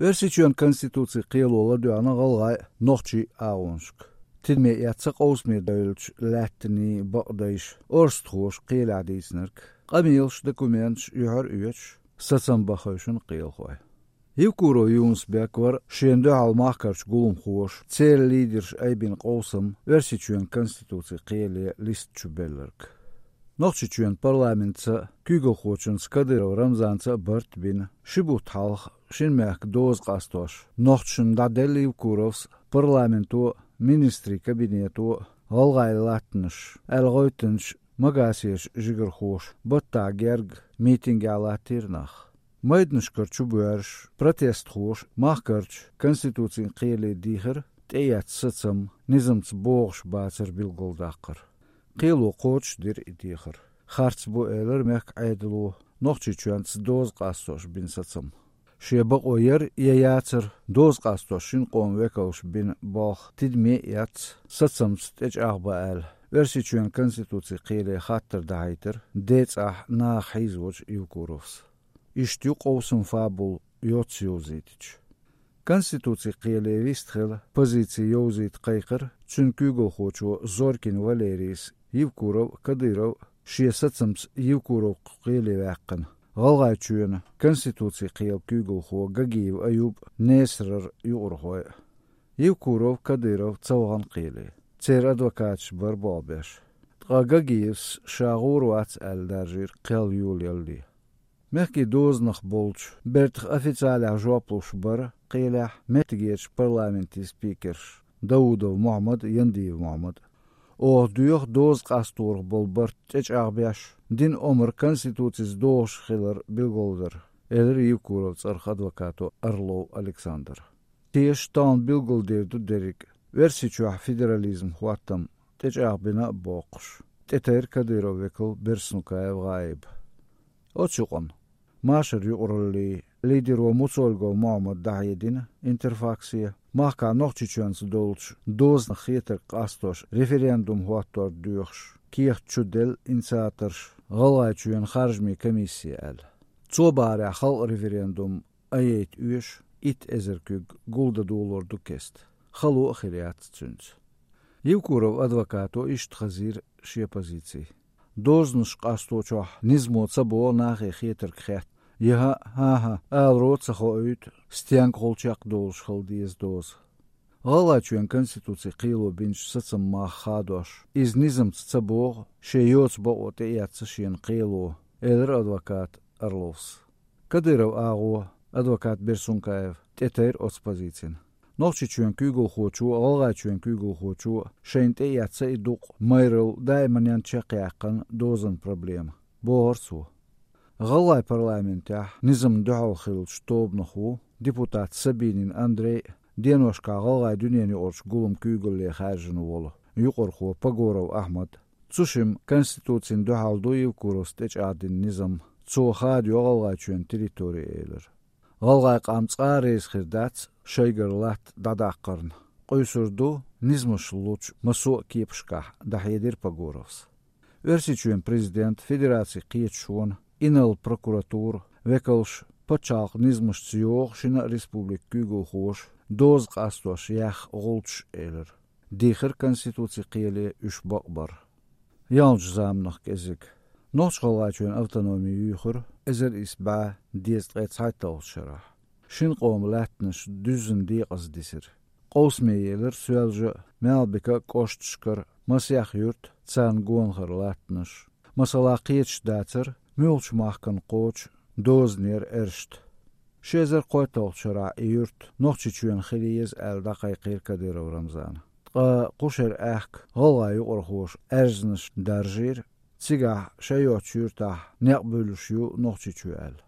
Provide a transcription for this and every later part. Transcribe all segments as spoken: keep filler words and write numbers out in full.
Оьрсийчоьнан Конституцин кхело ладоьгӀна гӀалгӀай, нохчий агӀонашка. Тидаме эцна къовсаме девллачу лаьттанийн бакъдайша орстхоша кхелехь дийцинарг, къамелаш, документаш юьхьар а оьцуш, сацам бан хевшина кхелахой. Евкуров Юнус-Бек вара шена дуьхьал махкарчу гуламхоша, церан лидераша айбина къовсам Оьрсийчоьнан Конституцин кхеле листа чу белларг. Нохчийчоьнан парламентца а, куьйгалхочуьнца Кадыров Рамзанца а барт а бина, ши бутт хьалха шина мехкан доза къастош, нохчашна дӀаделла Евкуровс парламенто а, министрийн кабинето а, гӀалгӀайн латтанаш аьлла гӀевттинчу Магасерчу жигархоша баттахь герга митингехь латтийра нах. Майданашкара чубоьрзуш, протестхоша махкарчу Конституцин кхеле дийхира тӀеэцна сацам, низамца богӀуш бацар билгалдаккхар. Кхело кхочушдира и дехар. Харц бу, элира мехкан Ӏедало, Нохчийчоьнца доза къастош бина сацам. Шен бакъо яра я яцара доза къастош шина къоман векалша бина болх тидаме а эцна, сацамца тӀечӀагӀбан аьлла, Оьрсийчоьнан Конституцин кхеле хаттар дӀахьийтира ден цӀахь наха хьийзочу Евкуровс. Иштта ю къовсаман фабула йоцца йовзийтича. Конституцин кхеле вистхила позици йовзийта кхайкхира цуьнан куьйгалхочо Зорькин Валерийс Евкуров а, Кадыров а, шен сацамца Евкуров кху кхеле ваьккхина, ГӀалгӀайчоьнан Конституцин кхелан куьйгалхо Гагиев Аюб а, Несарара юкъархой а. Евкуров, Кадыров ца вахана кхеле. Церан адвокаташ бара болх беш. Ткъа Гагиевс ша гӀур вац аьлла даржийра кхел йолаялале. Мехкийн дозанах болчу бертах официалехь жоп луш бара кхелехь меттигерчу парламентийн спикерш Даудов Мохьмад а, Яндиев Мохьмад а. «Оха доьху доза къасторах болу барт тӀечӀагӀбеш, дина омра Конституцица догӀуш хилар билгалдар», — элира Евкуровн цӀарах адвокато Орлов Александра. Теша тахана билгалдийр ду дерриг а, Оьрсийчохь федерализм хӀоттам тӀечӀагӀбина а боккхуш, тӀетайра Кадыровн векал Берснукаев ГӀаиб. Оцу юкъана машаран юкъараллин лидеро Муцольгов Мохьмада дӀахьедина Интерфаксе, махкахь Нохчийчоьнца долчу дозанах хетарг къастош референдум хӀоттор доьхуш, кехат чуделла инициаторш ГӀалгӀайчоьнан харжамийн комиссе аьлла. Цо бахарехь, халкъан референдум а яйта оьшу итт эзар куьг гулдан долор ду кеста. Хало а хир яц цуьнца. Евкуровн адвокато иштта хазийра шен позици. Дозанаш къасточохь низамо ца богӀу нахе хетарг хетта. ХӀаъ, хӀан-хӀа, аларо а ца хоуьйту, стенгахула чекхдолуш хила деза доза. ГӀалгӀайчоьнан Конституцин кхело бинчу сацаман мах хадош, иза низамца ца богӀу, шен йоцу бакъо тӀеэцна шена кхело, элира адвоката Орловс. Кадыровн агӀо, адвокат Берсункаев, тӀетайра оцу позицина. Нохчийчоьнан куьйгалхочо а, ГӀалгӀайчоьнан куьйгалхочо а шайна тӀеэцна и дукъ, майралла, даиманна чекхъяьккхина дозанан проблема, бохура цо. ГӀалгӀайн парламентехь низамна дуьхьал хиллачу тобанах ву депутат Сабинин Андрей а, деношкахь ГӀалгӀайн дуьненаюкъарчу гуламан куьйгалле хаьржина волу юкъархо Погоров Ахьмад а. Цу шимма Конституцина дуьхьал ду Евкуровс тӀечӀагӀдина низам, цо хадайо ГӀалгӀайчоьнан территори, элира. ГӀалгӀайн къам цкъа а реза хир дац шайгара латта дӀадаккхарна. Къуьйсур ду низамаш лучу массо а кепашкахь, дӀахьедира Погоровс. Оьрсийчоьнан президент, федерацин кхеташонан, инарла прокуратуран векалш пачхьалкхан низамашца йогӀу шина а республикан куьйгалхоша доза къастош яьхна гӀулчаш, элира. Дийхира Конституцин кхеле уьш бакъбар. Ялханчу заманах кӀезиг. Нохч-ГӀалгӀайчоьнан автономи юьйхира эзар исс бӀе дезткъе цхьайтталгӀачу шарахь. Шина къоман лаьттанаш дуьззина декъаза дисира. Къовсаме елира Соьлжа а, Малбика а кӀошташкара масех юрт, царна гонахара латтанаш. Масала, кхеташ дацара, муьлхачу махкана кхочу дозанера Эршта. Ши эзар кхойтталгӀачу шарахь и юрт Нохчийчоьнан хила еза аьлла дӀакхайкхийра Кадыров Рамзана. Ткъа кху шеран аьхка гӀалгӀайн юкъархоша аьрзнаш даржийра, цигахь шайн йоцучу юьртахь некъ буьллуш ю Нохчийчоь аьлла.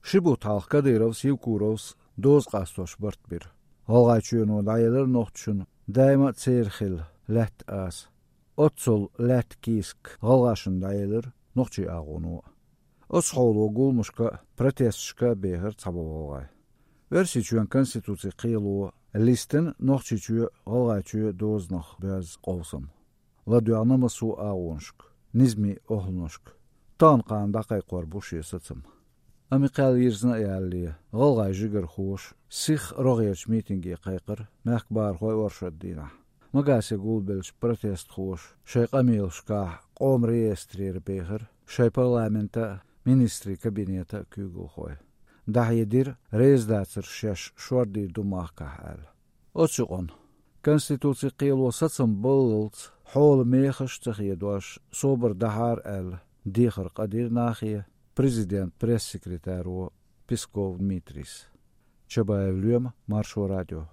Ши бутт хьалха Кадыровс, Евкуровс доза къастош барт бира. ГӀалгӀайчоьно дӀаелира нохчашна даима а церан хилла лаьтта аса. Оццул лаьтта кийсак гӀалгӀашна дӀаелира нохчийн агӀоно а. Оцу хьоло гуламашка а, протесташка а бехира цхьаболу гӀалгӀай. Оьрсийчоьнан Конституцин кхело листина Нохчийчоь, ГӀалгӀайчоь дозанах боьзна къовсам. ЛадоьгӀна массо а агӀонашка, низамийн охӀланашка. Тахана-кхана дӀакхайкхор бу шен сацам. Амма кхел йирзина а ялале, гӀалгӀай жигархоша сиха рогӀерчу митинге кхайкхира мехкан бахархой оршот дийнахь. Магасе гулбеллачу протестхоша шайн къамелашкахь къоман реестрера бехира шайн парламентан а, министрийн кабинетан а куьйгалхой. ДӀахьедира, реза дацара шаьш шордийр ду махкахь аьлла. Оцу юкъана, Конституцин кхело сацам баллалц хьолан мехаш а ца хедош, собар дахьара аьлла, дехар къадира нахе президентан пресс-секретаро Песков Дмитрийс. Чабаев Лоьма, Маршо радио.